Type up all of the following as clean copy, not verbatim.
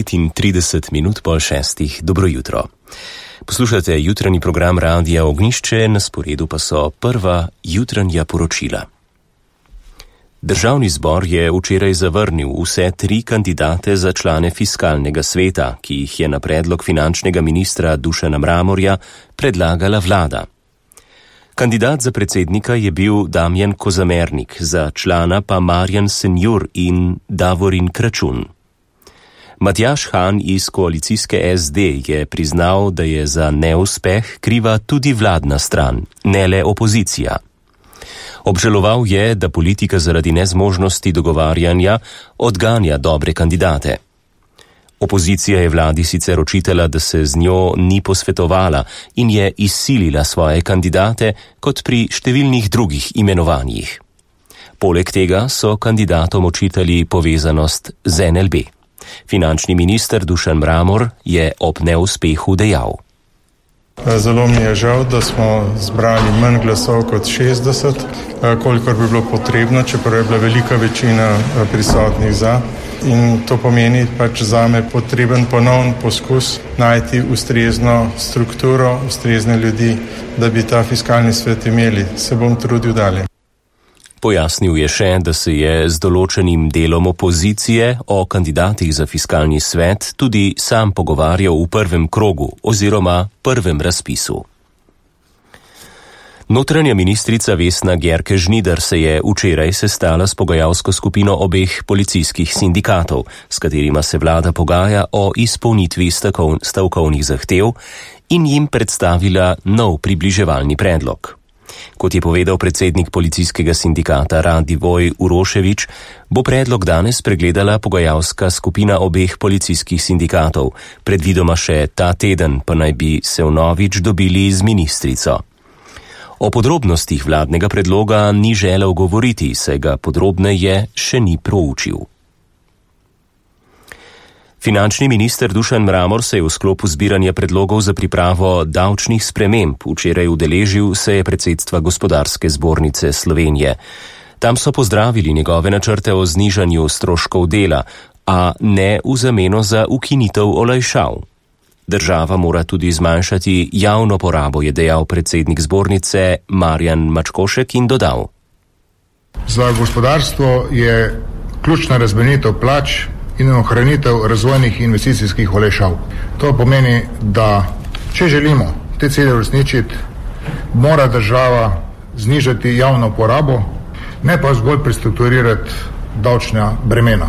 5:35 Dobro jutro. Poslušate jutranji program Radia Ognjišče, na sporedu pa so prva jutranja poročila. Državni zbor je včeraj zavrnil vse 3 kandidate za člane fiskalnega sveta, ki jih je na predlog finančnega ministra Dušana Mramorja predlagala vlada. Kandidat za predsednika je bil Damjan Kozamernik, za člana pa Marjan Senjur in Davorin Kračun. Matjaž Han iz koalicijske SD je priznal, da je za neuspeh kriva tudi vladna stran, ne le opozicija. Obžaloval je, da politika zaradi nezmožnosti dogovarjanja odganja dobre kandidate. Opozicija je vladi sicer očitala, da se z njo ni posvetovala in je izsilila svoje kandidate kot pri številnih drugih imenovanjih. Poleg tega so kandidatom očitali povezanost z NLB. Finančni minister Dušan Mramor je ob neuspehu dejal: Zelo mi je žal, da smo zbrali manj glasov kot 60, kolikor bi bilo potrebno, čeprav je bila velika večina prisotnih za. In to pomeni pač zame potreben ponovn poskus najti ustrezno strukturo, ustrezne ljudi, da bi ta fiskalni svet imeli. Se bom trudil dalje. Pojasnil je še, da se je z določenim delom opozicije o kandidatih za fiskalni svet tudi sam pogovarjal v prvem krogu oziroma prvem razpisu. Notranja ministrica Vesna Györke-Žnidar se je včeraj sestala s pogajalsko skupino obeh policijskih sindikatov, s katerima se vlada pogaja o izpolnitvi stavkovnih zahtev in jim predstavila nov približevalni predlog. Kot je povedal predsednik policijskega sindikata Radivoj Uroševič, bo predlog danes pregledala pogajalska skupina obeh policijskih sindikatov, predvidoma še ta teden pa naj bi se vnovič dobili z ministrico. O podrobnostih vladnega predloga ni želel govoriti, saj ga podrobneje še ni proučil. Finančni minister Dušan Mramor se je v sklopu zbiranja predlogov za pripravo davčnih sprememb včeraj udeležil seje predsedstva Gospodarske zbornice Slovenije. Tam so pozdravili njegove načrte o znižanju stroškov dela, a ne v zameno za ukinitev olajšav. Država mora tudi zmanjšati javno porabo, je dejal predsednik zbornice Marjan Mačkošek in dodal: Za gospodarstvo je ključna razbremenitev plač in ohranitev razvojnih investicijskih olajšav. To pomeni, da če želimo te cilje uresničiti, mora država znižati javno porabo, ne pa zgolj prestrukturirati davčna bremena.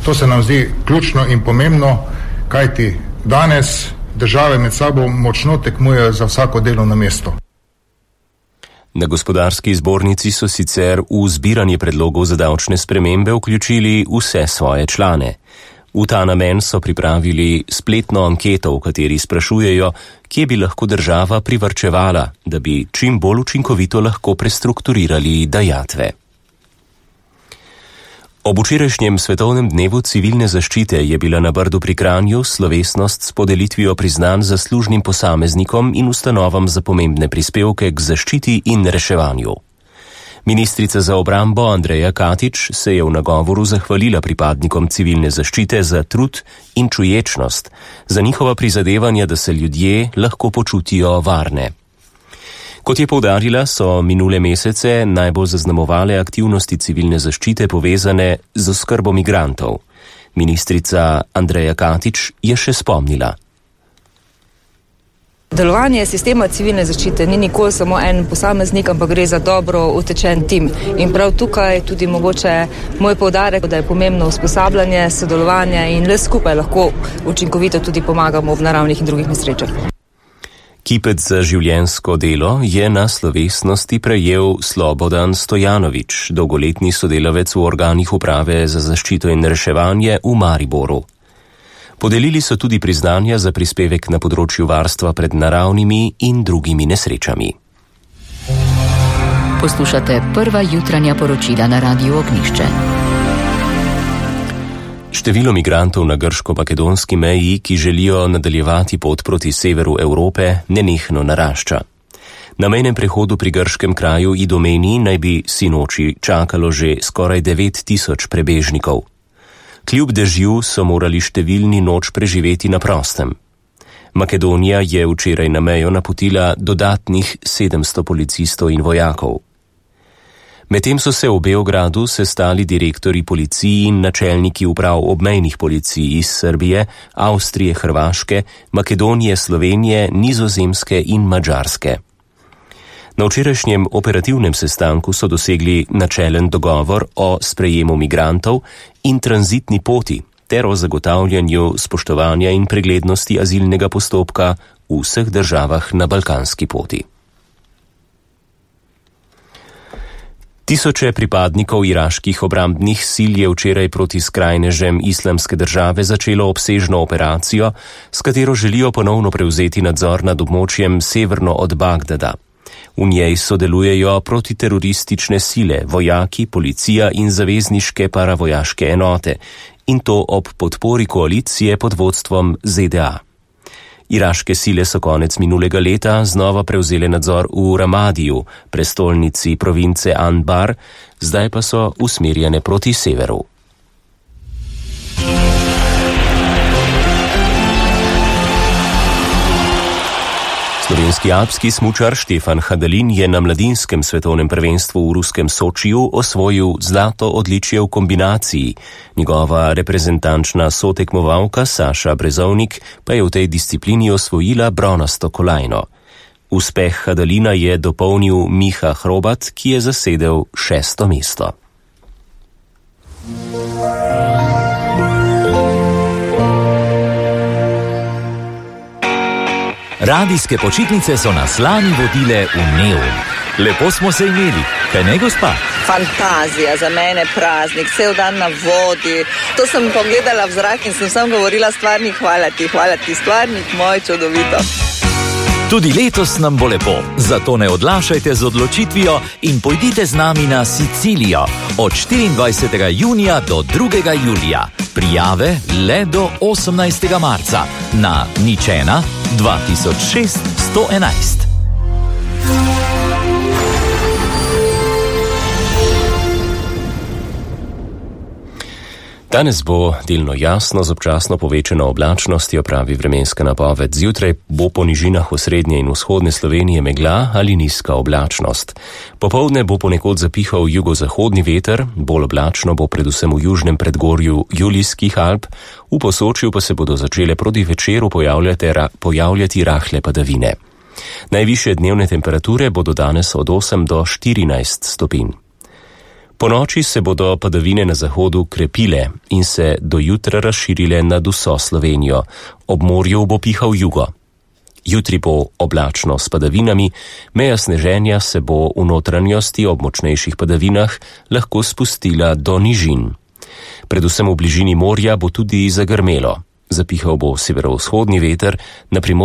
To se nam zdi ključno in pomembno, kajti danes države med sabo močno tekmujejo za vsako delovno mesto. Na gospodarski zbornici so sicer v zbiranje predlogov za davčne spremembe vključili vse svoje člane. V ta namen so pripravili spletno anketo, v kateri sprašujejo, kje bi lahko država privarčevala, da bi čim bolj učinkovito lahko prestrukturirali dajatve. Ob včerajšnjem svetovnem dnevu civilne zaščite je bila na Brdu pri Kranju slovesnost s podelitvijo priznanj zaslužnim posameznikom in ustanovam za pomembne prispevke k zaščiti in reševanju. Ministrica za obrambo Andreja Katič se je v nagovoru zahvalila pripadnikom civilne zaščite za trud in čuječnost, za njihova prizadevanja, da se ljudje lahko počutijo varne. Kot je poudarila, so minule mesece najbolj zaznamovale aktivnosti civilne zaščite povezane z oskrbo migrantov. Ministrica Andreja Katič je še spomnila: Delovanje sistema civilne zaščite ni nikoli samo en posameznik, ampak gre za dobro utečen tim. In prav tukaj tudi mogoče moj poudarek, da je pomembno usposabljanje, sodelovanje in le skupaj lahko učinkovito tudi pomagamo ob naravnih in drugih nesrečah. Kipec za življenjsko delo je na slovesnosti prejel Slobodan Stojanovič, dolgoletni sodelavec v organih uprave za zaščito in reševanje v Mariboru. Podelili so tudi priznanja za prispevek na področju varstva pred naravnimi in drugimi nesrečami. Poslušate prva jutranja poročila na Radiu Ognjišče. Število migrantov na grško-makedonski meji, ki želijo nadaljevati pot proti severu Evrope, nenehno narašča. Na mejnem prehodu pri grškem kraju Idomeni naj bi sinoči čakalo že skoraj 9 tisoč prebežnikov. Kljub dežju so morali številni noč preživeti na prostem. Makedonija je včeraj na mejo napotila dodatnih 700 policistov in vojakov. Medtem so se v Beogradu sestali direktorji policiji in načelniki uprav obmejnih policij iz Srbije, Avstrije, Hrvaške, Makedonije, Slovenije, Nizozemske in Madžarske. Na včerajšnjem operativnem sestanku so dosegli načelen dogovor o sprejemu migrantov in tranzitni poti ter o zagotavljanju spoštovanja in preglednosti azilnega postopka v vseh državah na balkanski poti. Tisoče pripadnikov iraških obrambnih sil je včeraj proti skrajnežem Islamske države začelo obsežno operacijo, s katero želijo ponovno prevzeti nadzor nad območjem severno od Bagdada. V njej sodelujejo protiteroristične sile, vojaki, policija in zavezniške paravojaške enote, in to ob podpori koalicije pod vodstvom ZDA. Iraške sile so konec minulega leta znova prevzele nadzor v Ramadiju, prestolnici province Anbar, zdaj pa so usmerjene proti severu. Slovenski alpski smučar Štefan Hadalin je na mladinskem svetovnem prvenstvu v ruskem Sočiju osvojil zlato odličje v kombinaciji. Njegova reprezentančna sotekmovalka Saša Brezovnik pa je v tej disciplini osvojila bronasto kolajno. Uspeh Hadalina je dopolnil Miha Hrobat, ki je zasedel 6. mesto. Radijske počitnice so nas lani vodile v Neum. Lepo smo se imeli, kaj ne, gospa? Fantazija, za mene praznik, cel dan na vodi. To sem pogledala v zrak in sem govorila stvarnik, hvala ti, stvarnik moj, čudovito. Tudi letos nam bo lepo, zato ne odlašajte z odločitvijo in pojdite z nami na Sicilijo od 24. junija do 2. julija. Prijave le do 18. marca na 01 2006 111. Danes bo delno jasno z občasno povečano oblačnostjo, pravi vremenska napoved. Zjutraj bo po nižinah osrednje in vzhodne Slovenije megla ali nizka oblačnost. Popoldne bo ponekod zapihal jugozahodni veter, bolj oblačno bo predvsem v južnem predgorju Julijskih Alp, v Posočju pa se bodo začele proti večeru pojavljati rahle padavine. Najvišje dnevne temperature bodo danes od 8 do 14 stopinj. Po noči se bodo padavine na zahodu krepile in se do jutra razširile nad vso Slovenijo. Ob morju bo pihal jugo. Jutri bo oblačno s padavinami, meja sneženja se bo v notranjosti ob močnejših padavinah lahko spustila do nižin. Predvsem v bližini morja bo tudi zagrmelo. Zapihal bo severovzhodni veter, na Primorsko